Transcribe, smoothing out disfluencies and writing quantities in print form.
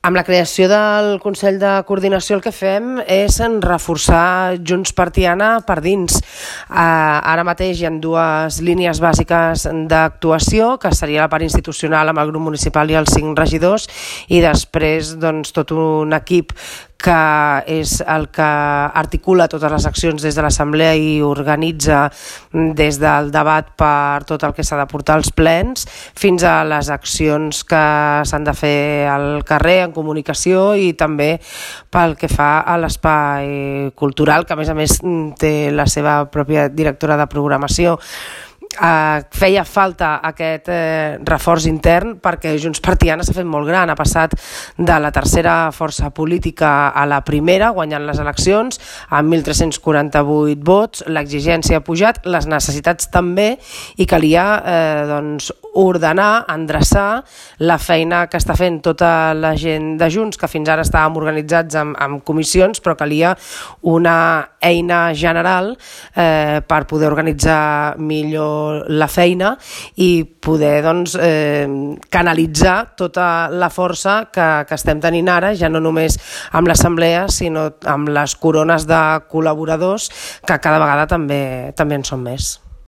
Amb la creació del Consell de Coordinació el que fem és reforçar Junts per Tiana per dins. Ara mateix hi ha dues línies bàsiques d'actuació, que seria la part institucional amb el grup municipal i els 5 regidors, i després tot un equip que és el que articula totes les accions des de l'Assemblea i organitza des del debat per tot el que s'ha de portar als plens fins a les accions que s'han de fer al carrer, en comunicació, i també pel que fa a l'espai cultural, que a més té la seva pròpia directora de programació. Feia falta aquest reforç intern perquè Junts per Tiana s'ha fet molt gran, ha passat de la tercera força política a la primera, guanyant les eleccions amb 1.348 vots, l'exigència ha pujat, les necessitats també, i calia ordenar, endreçar la feina que està fent tota la gent de Junts, que fins ara estàvem organitzats amb comissions, però calia una eina general per poder organitzar millor la feina i poder canalitzar tota la força que estem tenint ara, ja no només amb l'assemblea, sinó amb les corones de col·laboradors, que cada vegada també en són més.